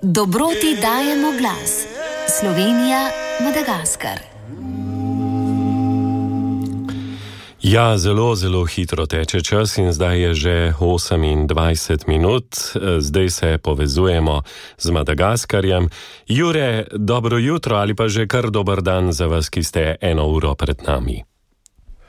Dobroti dajemo glas. Slovenija, Madagaskar. Ja, zelo hitro teče čas in zdaj je že 28 minut. Zdaj se povezujemo z Madagaskarjem. Jure, dobro jutro ali pa že kar dober dan za vas, ki ste 1 uro pred nami.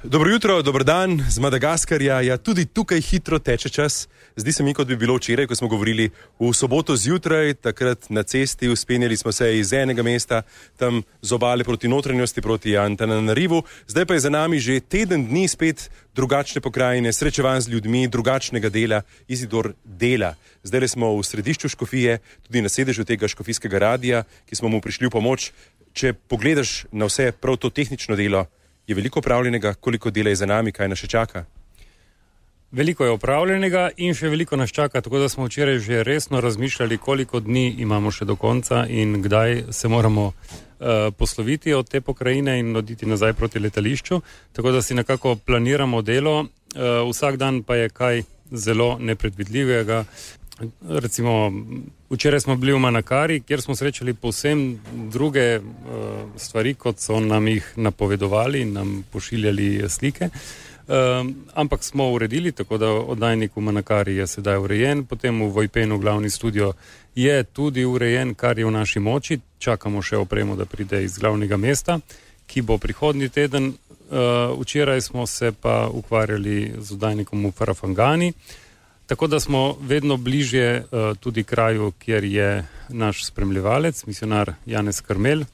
Dobro jutro, dober dan z Madagaskarja. Ja, tudi tukaj hitro teče čas. Zdi se mi, kot bi bilo včeraj, ko smo govorili v soboto zjutraj, takrat na cesti, uspenjali smo se iz enega mesta, tam z obale proti notranjosti, proti Antananarivu. Zdaj pa je za nami že teden dni spet drugačne pokrajine, srečevanj z ljudmi, drugačnega dela, Izidor dela. Zdaj smo v središču Škofije, tudi na sedežu tega škofijskega radija, ki smo mu prišli v pomoč. Če pogledaš na vse prav to tehnično delo, je veliko opravljenega, koliko dela je za nami, kaj nas še čaka? Veliko je opravljenega in še veliko nas čaka, tako da smo včeraj že resno razmišljali, koliko dni imamo še do konca in kdaj se moramo posloviti od te pokrajine in oditi nazaj proti letališču. Tako da si nekako planiramo delo, vsak dan pa je kaj zelo nepredvidljivega. Recimo, včeraj smo bili v Manakari, kjer smo srečali povsem druge stvari, kot so nam jih napovedovali in nam pošiljali slike. Ampak smo uredili, tako da oddajnik v Manakari je sedaj urejen, potem v Vojpenu glavni studio je tudi urejen, kar je v naši moči. Čakamo še opremo, da pride iz glavnega mesta, ki bo prihodnji teden. Včeraj smo se pa ukvarjali z oddajnikom v Farafangani, tako da smo vedno bližje tudi kraju, kjer je naš spremljevalec, misionar Janez Karmel,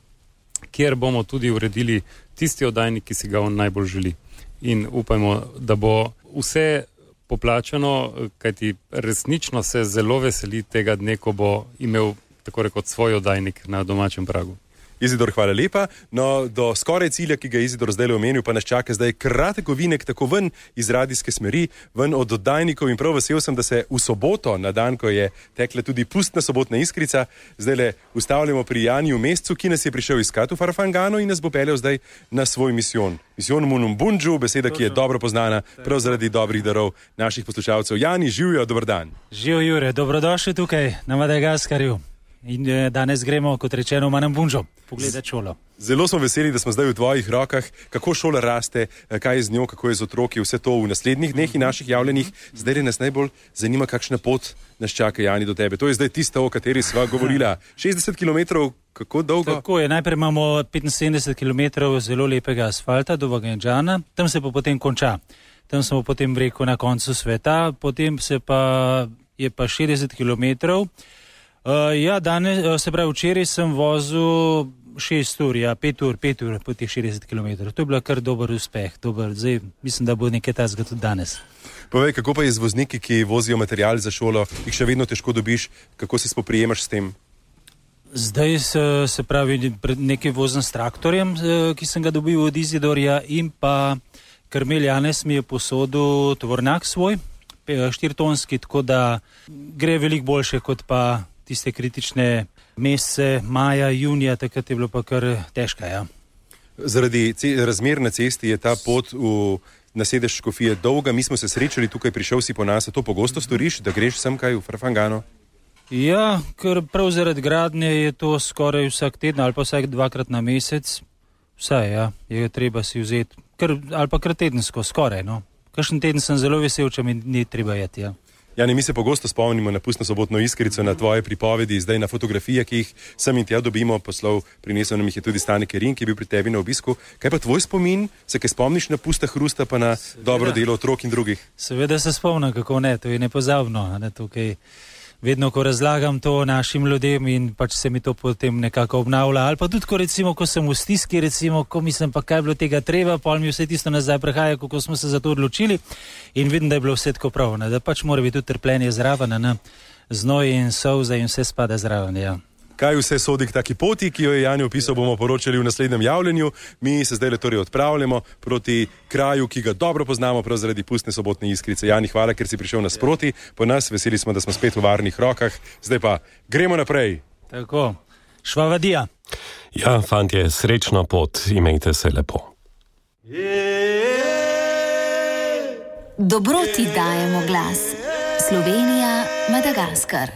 kjer bomo tudi uredili tisti oddajnik, ki si ga on najbolj želi. In upajmo, da bo vse poplačano, kajti resnično se zelo veseli tega dne, ko bo imel tako rekoč svoj oddajnik na domačem pragu. Izidor, hvala lepa. No, do skoraj cilja, ki ga je Izidor zdaj omenil, pa nas čaka zdaj kratek ovinek tako ven iz radijske smeri, ven od oddajnikov in prav vesel sem, da se v soboto, na dan, ko je tekla tudi pustna sobotna iskrica, zdaj le ustavljamo pri Janiju Mescu, ki nas je prišel iskat v Farafangano in nas bo peljal zdaj na svoj misijon. Misijon Munumbundžu, beseda, ki je dobro poznana prav zaradi dobrih darov naših poslušalcev. Jani, živijo, dober dan. Živijo, Jure, dobrodošli tukaj na Madagaskarju. In danes gremo, kot rečeno, v Munumbundžu pogledati šolo. Zelo smo veseli, da smo zdaj v tvojih rokah. Kako šola raste, kaj je z njo, kako je z otroki, vse to v naslednjih dneh in naših javljenih. Zdaj nas najbolj zanima, kakšna pot nas čaka, Jani, do tebe. To je zdaj tista, o kateri sva govorila. 60 km, kako dolgo? Tako je, najprej imamo 75 km zelo lepega asfalta do Vaganjana, tam se pa potem konča. Tam smo potem rekel na koncu sveta, potem je pa 60 km. Danes, se pravi, včeraj sem vozil 6 ur, 5 ur po teh 60 km. To je bila kar dober uspeh. Zdaj mislim, da bo nekaj tazga tudi danes. Povej, kako pa je z vozniki, ki vozijo material za šolo, jih še vedno težko dobiš, kako se spoprijemaš s tem? Zdaj se pravi, nekaj vozim s traktorjem, ki sem ga dobil od Izidorja, in pa Karmel Janez mi je posodil tovornjak svoj, 4-tonski, tako da gre veliko boljše kot pa tiste kritične mesece, maja, junija, takrat je bilo pa kar težka, ja. Zaradi razmer na cesti je ta pot na sedež Škofije dolga. Mi smo se srečali tukaj, prišel si po nas. To pogosto storiš, da greš sem kaj v Farafangano? Ja, ker prav zaradi gradnje je to skoraj vsak teden ali pa vsak 2-krat na mesec. Vsaj, ja, je treba si vzeti, ali pa kar tedensko, skoraj, no. Kakšen teden sem zelo vesel, če mi ni treba jeti, ja. Jani, mi se pogosto spomnimo na pustno sobotno iskrico, na tvoje pripovedi, zdaj na fotografije, ki jih sem in tja dobimo, poslov, prinesel nam jih je tudi Stane Kerin, ki je bil pri tebi na obisku. Kaj pa tvoj spomin? Se kaj spomniš na pusta hrusta, pa na dobro delo otrok in drugih? Seveda se spomnim, kako ne, to je nepozabno, ne, tukaj. Vedno, ko razlagam to našim ljudem in pač se mi to potem nekako obnavlja. Ali pa tudi, ko recimo, ko sem v stiski, recimo, ko mislim pa, kaj je bilo tega treba, pol mi vse tisto nazaj prehaja, kako smo se za to odločili in vidim, da je bilo vse tako prav, ne, da pač mora biti tudi trpljenje zraven, ne, znoj in solza in vse spada zraven, ja. Kaj vse sodi k taki poti, ki jo je Jani opisal, bomo poročali v naslednjem javljenju. Mi se zdaj torej odpravljamo proti kraju, ki ga dobro poznamo prav zaradi pustne sobotne iskrice. Jani, hvala, ker si prišel nasproti. Po nas veseli smo, da smo spet v varnih rokah. Zdaj pa gremo naprej. Tako, švavadija. Ja, fantje, srečno pot, imejte se lepo. Dobroti dajemo glas. Slovenija, Madagaskar.